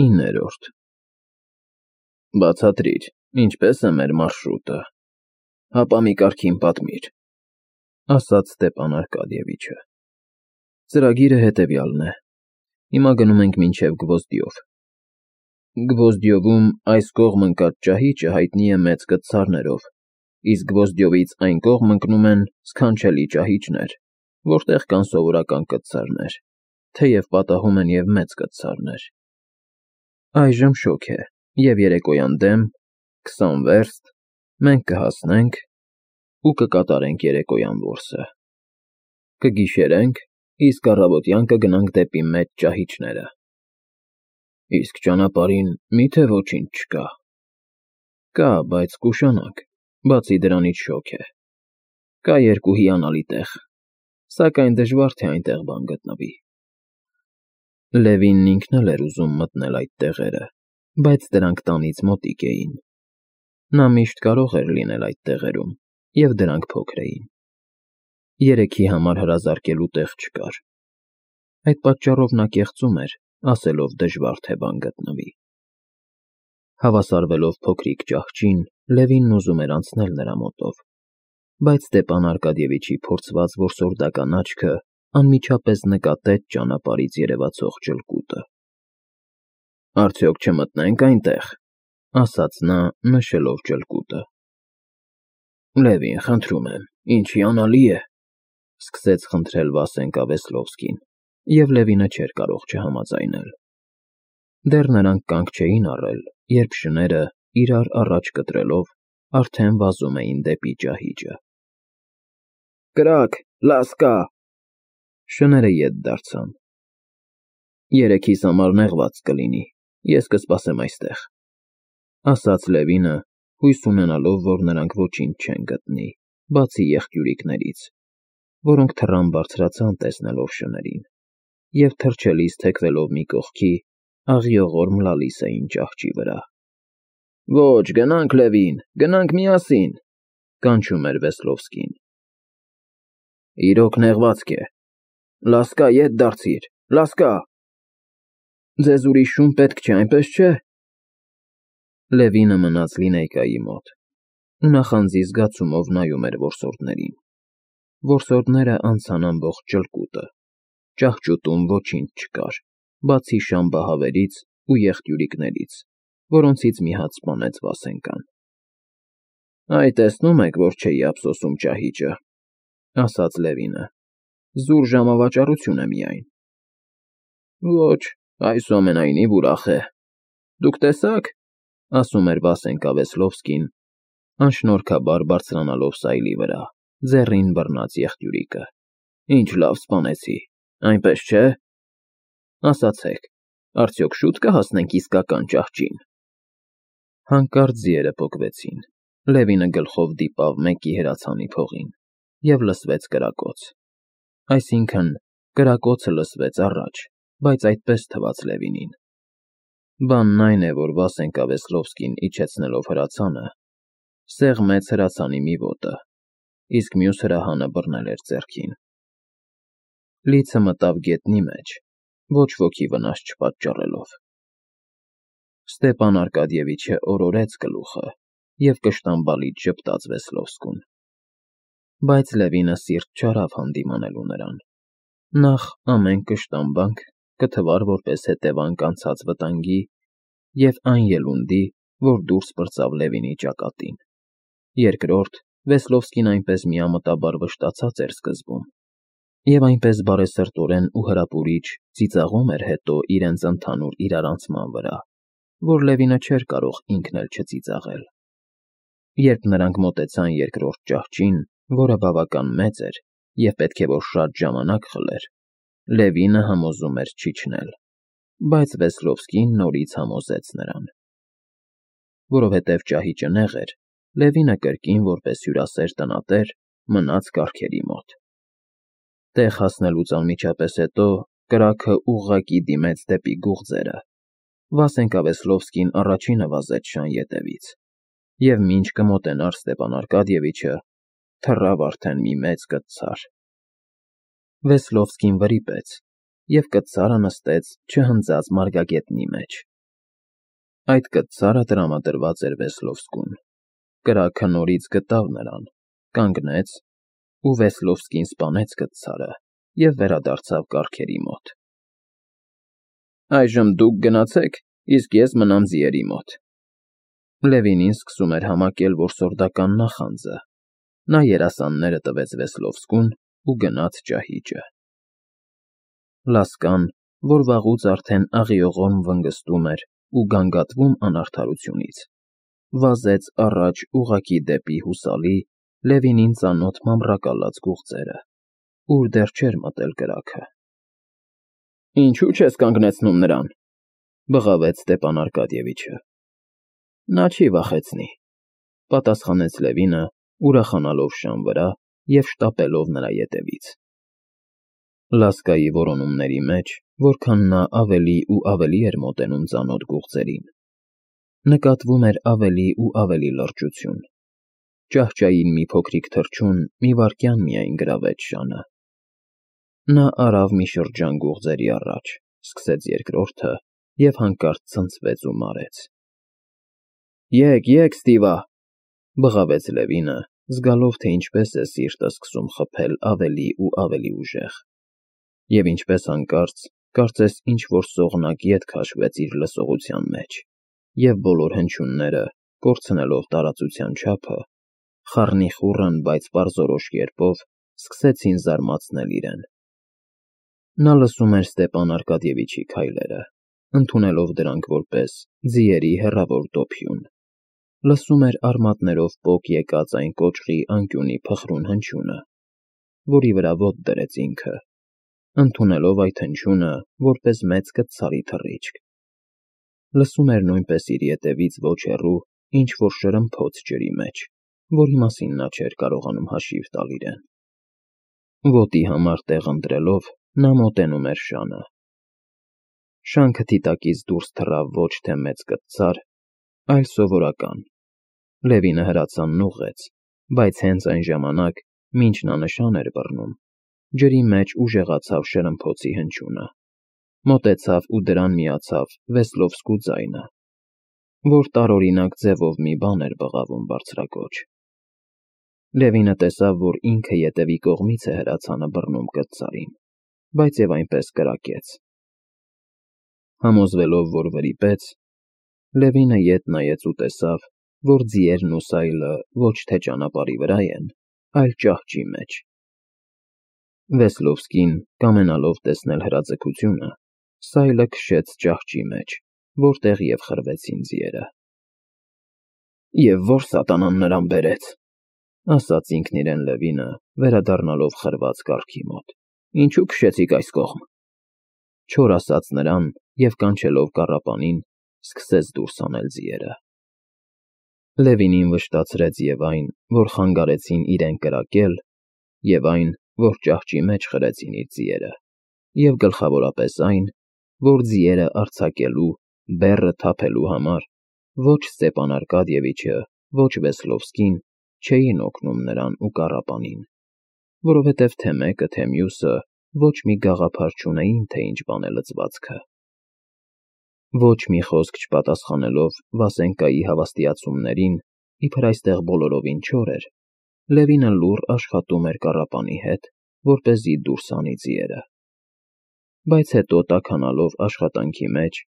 9-րդ Բացատրիր, ինչպես է մեր մարշրուտը, հապա մի կարգին պատմիր, ասաց Ստեփան Արկադիևիչը։ Ծրագիրը հետևյալն է. հիմա գնում ենք մինչև Գվոզդիով։ Գվոզդիովում այս կողմ ընկած ճահիճը հայտնի է մեծ կտցարներով, իսկ Գվոզդիովից այն կողմ ընկնում են սքանչելի ճահիճներ, որտեղ կան սովորական կտցարներ, թեև պատահում են և մեծ կտցարներ։ Այժմ շոգ է, և երեկոյան դեմ, 20 վերստ, մենք կհասնենք ու կկատարենք երեկոյան որսը։ Կգիշերենք, իսկ առավոտյան կգնանք դեպի մեծ ճահիճները։ Իսկ ճանապարհին մի՞թե ոչինչ չկա։ Կա, բայց կուշանանք, բացի դրանից շոգ է։ Կա երկու հիանալի տեղ, սակայն դժվար թե այնտեղ բան գտնվի։ Լևինն ինքն էլ էր ուզում մտնել այդ տեղերը, բայց դրանք տանից մոտիկ էին։ Նա միշտ կարող էր լինել այդ տեղերում, և դրանք փոքր էին։ Երեքի համար հրազարկելու տեղ չկար։ Այդ պատճառով նա կեղծում էր, ասելով դժվար թե բան գտնվի։ Հավասարվելով փոքրիկ ճահճին, Լևինն ուզում էր անցնել նրա մոտով, բայց Ստեփան Արկադիևիչի փորձված որսորդական աչքը անմիջապես նկատեց ճանապարհից երևացող ջլկուտը։ Արդյոք չմտնե՞նք այնտեղ, ասաց նա, նշելով ջլկուտը։ Լևին, խնդրում եմ, ինչ հիանալի է, սկսեց խնդրել Վասենկա Վեսլովսկին, և Լևինը չէր կարող չհամաձայնել։ Դեռ նրանք կանգ չէին առել, երբ շները, իրար առաջ կտրելով, արդեն վազում էին դեպի ճահիճը։ Կրակ, լասկա… Շները ետ դարձան։ Երեքիս համար նեղված կլինի, ես կսպասեմ այստեղ, ասաց Լևինը, հույս ունենալով, որ նրանք ոչինչ չեն գտնի, բացի եղջյուրիկներից, որոնք թռան բարձրացան տեսնելով շներին, և թռչելիս թեքվելով մի կողքի, աղիողորմ լալիս էին ճահճի վրա։ Ոչ, գնանք, Լևին, գնանք միասին, կանչում էր Վեսլովսկին։ Իրոք նեղվածք է։ Լասկա, ետ դարձիր, լասկա… Ձեզ ուրիշ շուն պետք չէ, այնպես չէ… Լևինը մնաց լինեյկայի մոտ ու նախանձի զգացումով նայում էր որսորդներին։ Որսորդները անցան ամբողջ ջլկուտը, ճահճուտում ոչինչ չկար, բացի շամբահավերից ու եղջյուրիկներից, որոնցից մի հատ սպանեց Վասենկան։ Այ տեսնում եք, որ չէի ափսոսում ճահիճը, ասաց Լևինը, զուր ժամավաճառություն է միայն։ Ոչ, այսուամենայնիվ ուրախ է։ Դուք տեսա՞ք, ասում էր Վասենկա Վեսլովսկին, անշնորհքաբար բարձրանալով սայլի վրա, ձեռին բռնած եղջյուրիկը։ Ինչ լավ սպանեցի, այնպես չէ… Ասացեք, արդյոք շուտ կհասնենք իսկական ճահճին։ Հանկարծ ձիերը պոկվեցին, Լևինը գլխով դիպավ մեկի հրացանի փողին, և լսվեց կրակոց։ Այսինքն, կրակոցը լսվեց առաջ, բայց այդպես թվաց Լևինին։ Բանն այն է, որ Վասենկա Վեսլովսկին իջեցնելով հրացանը, սեղմեց հրացանի մի ոտը, իսկ մյուս հրահանը բռնել էր ձեռքին։ Լիցը մտավ գետնի մեջ, ոչ ոքի վնաս չպատճառելով։ Ստեփան Արկադիևիչը օրորեց գլուխը և կշտամբալից ժպտաց Վեսլովսկուն։ Բայց Լևինը սիրտ չարավ հանդիմանելու նրան։ Նախ ամեն կշտամբանք կթվար որպես հետևանք անցած վտանգի և այն ելունդի, որ դուրս պրծավ Լևինի ճակատին։ Երկրորդ, Վեսլովսկին այնպես միամտաբար վշտացած էր սկզբում, և այնպես բարեսրտորեն ու հրապուրիչ ծիծաղում էր հետո իրենց ընդհանուր իրարանցման վրա, որ Լևինը չէր կարող ինքն էլ չծիծաղել։ Երբ նրանք մոտեցան երկրորդ ճահճին, որը բավական մեծ էր և պետք է որ շատ ժամանակ խլեր, Լևինը համոզում էր չիջնել, բայց Վեսլովսկին նորից համոզեց նրան։ Որովհետև ճահիճը նեղ էր, Լևինը կրկին, որպես հյուրասեր տնատեր, մնաց կառքերի մոտ։ Տեղ հասնելուց անմիջապես հետո կրակը ուղղակի դիմեց դեպի գուղձերը։ Վասենկա Վեսլովսկին առաջինը վազեց շան ետևից, և մինչ կմոտենար Ստեփան Արկադիևիչը, թռավ արդեն մի մեծ կտցար։ Վեսլովսկին վրիպեց, և կտցարը նստեց չհնձած մարգագետնի մեջ, Այդ կտցարը տրամադրված էր Վեսլովսկուն։ Կրակը նորից գտավ նրան, կանգնեց, ու Վեսլովսկին սպանեց կտցարը և վերադարձավ կառքերի մոտ։ Այժմ դուք գնացեք, իսկ ես մնամ ձիերի մոտ։ Լևինին սկսում էր համակել որսորդական նախանձը։ Նա երասանները տվեց Վեսլովսկուն ու գնաց ճահիճը։ Լասկան, որ վաղուց արդեն աղիողորմ վնգստում էր ու գանգատվում անարդարությունից, վազեց առաջ ուղղակի դեպի հուսալի, Լևինին ծանոթ մամռակալած գուղձերը, ուր դեռ չէր մտել կրակը։ Ինչու չես կանգնեցնում նրան, բղավեց Ստեպան Արկադիևիչը։ Նա չի վախեցնի, պատասխանեց Լևինը, ուրախանալով շան վրա և շտապելով նրա ետևից։ Լասկայի որոնումների մեջ, որքան նա ավելի ու ավելի էր մոտենում ծանոթ գուղձերին, նկատվում էր ավելի ու ավելի լրջություն։ Ճահճային մի փոքրիկ թռչուն մի վայրկյան միայն գրավեց շանը։ Նա արավ մի շրջան գուղձերի առաջ, սկսեց երկրորդը և հանկարծ ցնցվեց ու մարեց։ Եկ, Ստիվա, բղավեց Լևինը, զգալով, թե ինչպես է սիրտը սկսում խփել ավելի ու ավելի ուժեղ։ Եվ ինչպես հանկարծ, կարծես ինչ-որ սողնակ ետ քաշվեց իր լսողության մեջ, և բոլոր հնչյունները, կորցնելով տարածության չափը, խառնիխուռն, բայց պարզորոշ կերպով սկսեցին զարմացնել իրեն։ Նա լսում էր Ստեպան Արկադիևիչի քայլերը, ընդունելով դրանք որպես ձիերի հեռավոր դոփյուն, լսում էր արմատներով պոկ եկած այն կոճղի անկյունի փխրուն հնչյունը, որի վրա ոտք դրեց ինքը, ընդունելով այդ հնչյունը որպես մեծ կտցարի թռիչք։ Լսում էր նույնպես իր ետևից ոչ հեռու ինչ-որ շրմփոց ջրի մեջ, որի մասին նա չէր կարողանում հաշիվ տալ իրեն։ Ոտի համար տեղ ընտրելով, նա մոտենում էր շանը։ Շանքթի տակից դուրս թռավ ոչ թե մեծ կտցար, այլ սովորական։ Լևինը հրացանն ուղղեց, բայց հենց այն ժամանակ, մինչ նա նշան էր բռնում, ջրի մեջ ուժեղացավ շրմփոցի հնչյունը, մոտեցավ ու դրան միացավ Վեսլովսկու ձայնը, որ տարօրինակ ձևով մի բան էր բղավում բարձրաձոչ։ Լևինը տեսավ, որ ինքը ետևի կողմից է հրացանը բռնում կտցարին, բայց և այնպես կրակեց։ Համոզվելով, որ վրիպեց, Լևինը ետ նայեց ու տեսավ, որ ձիերն ու սայլը ոչ թե ճանապարհի վրա են, այլ ճահճի մեջ։ Վեսլովսկին, կամենալով տեսնել հրաձգությունը, սայլը քշեց ճահճի մեջ, որտեղ և խրվեցին ձիերը։ Եվ որ սատանան նրան բերեց, ասաց ինքն իրեն Լևինը, վերադառնալով խրված կառքի մոտ։ Ինչու քշեցիք այս կողմ։ Չոր ասաց նրան և կանչելով կառապանին, սկսեց դուրս հանել ձիերը։ Լևինին վշտացրեց և այն, որ խանգարեցին իրեն կրակել, և այն, որ ճահճի մեջ խրեցին իր ձիերը, և գլխավորապես այն, որ ձիերը արձակելու, բեռը թափելու համար ոչ Ստեպան Արկադիևիչը, ոչ Վեսլովսկին չէին օգնում նրան ու կառապանին, որովհետև թե մեկը, թե մյուսը ոչ մի գաղափար չունեին, թե ինչ բան է լծվածքը։ Ոչ մի խոսք չպատասխանելով Վասենկայի հավաստիացումներին, իբր այստեղ բոլորովին չոր էր, Լևինը լուռ աշխատում էր կառապանի հետ, որպեսզի դուրս հանի ձիերը։ Բայց հետո տաքանալով աշխատանքի մեջ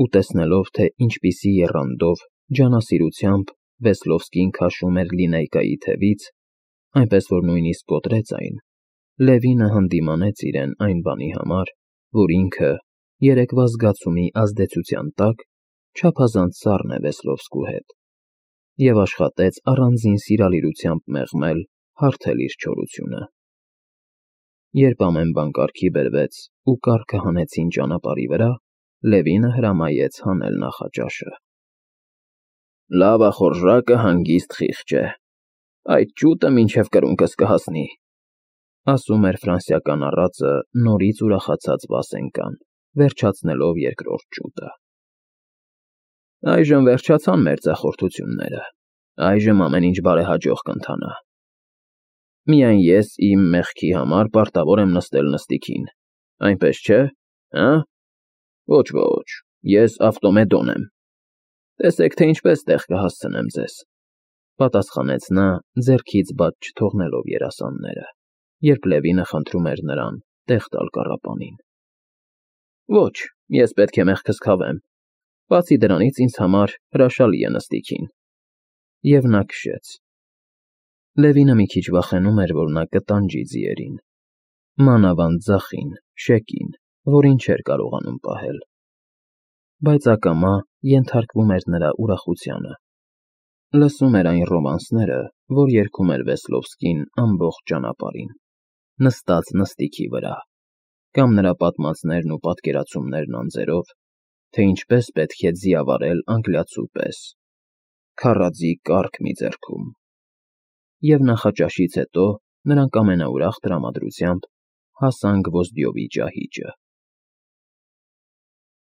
ու տեսնելով, թե ինչպիսի եռանդով, ջանասիրությամբ Վեսլովսկին քաշում էր լինեյկայի թևից, այնպես որ նույնիսկ կոտրեց այն, Լևինը հանդիմանեց իրեն այն բանի համար, որ ինքը, երեկվա զգացումի ազդեցության տակ, չափազանց սառն է Վեսլովսկու հետ, և աշխատեց առանձին սիրալիրությամբ մեղմել, հարթել իր չորությունը։ Երբ ամեն բան կարգի բերվեց ու կառքը հանեցին ճանապարհի վրա, Լևինը հրամայեց հանել նախաճաշը։ Լավախորժակը հանգիստ խիղճ է, այդ ճուտը մինչև կրունկս կհասնի, ասում էր ֆրանսիական առածը նորից ուրախացած Վասենկան, վերջացնելով երկրորդ ճուտը։ Այժմ վերջացան մեր ձախորդությունները, այժմ ամեն ինչ բարեհաջող կընթանա։ Միայն ես իմ մեղքի համար պարտավոր եմ նստել նստիքին, այնպես չէ, հը՞։ Ոչ, ես ավտոմեդոն եմ։ Տեսեք, թե ինչպես տեղ կհասցնեմ ձեզ, պատասխանեց նա, ձեռքից բաց չթողնելով երասանները, երբ Լևինը խնդրում էր նրան տեղ տալ կառապանին։ Ոչ, ես պետք է մեղքս քավեմ, բացի դրանից ինձ համար հրաշալի է նստիքին։ Եվ նա քշեց։ Լևինը մի քիչ վախենում էր, որ նա կտանջի ձիերին, մանավանդ ձախին, շեկին, որին չէր կարողանում պահել։ Բայց ակամա ենթարկվում էր նրա ուրախությանը։ Լսում էր այն ռոմանսները, որ երգում էր Վեսլովսկին ամբողջ ճանապարհին, նստած նստիքի վրա, կամ նրա պատմածներն ու պատկերացումներն անձերով, թե ինչպես պետք է ձիավարել անգլիացու պես, քառաձիգ կառք մի ձեռքում։ Եվ նախաճաշից հետո նրանք ամենաուրախ տրամադրությամբ հասան Գվոզդյովի ճահիճը։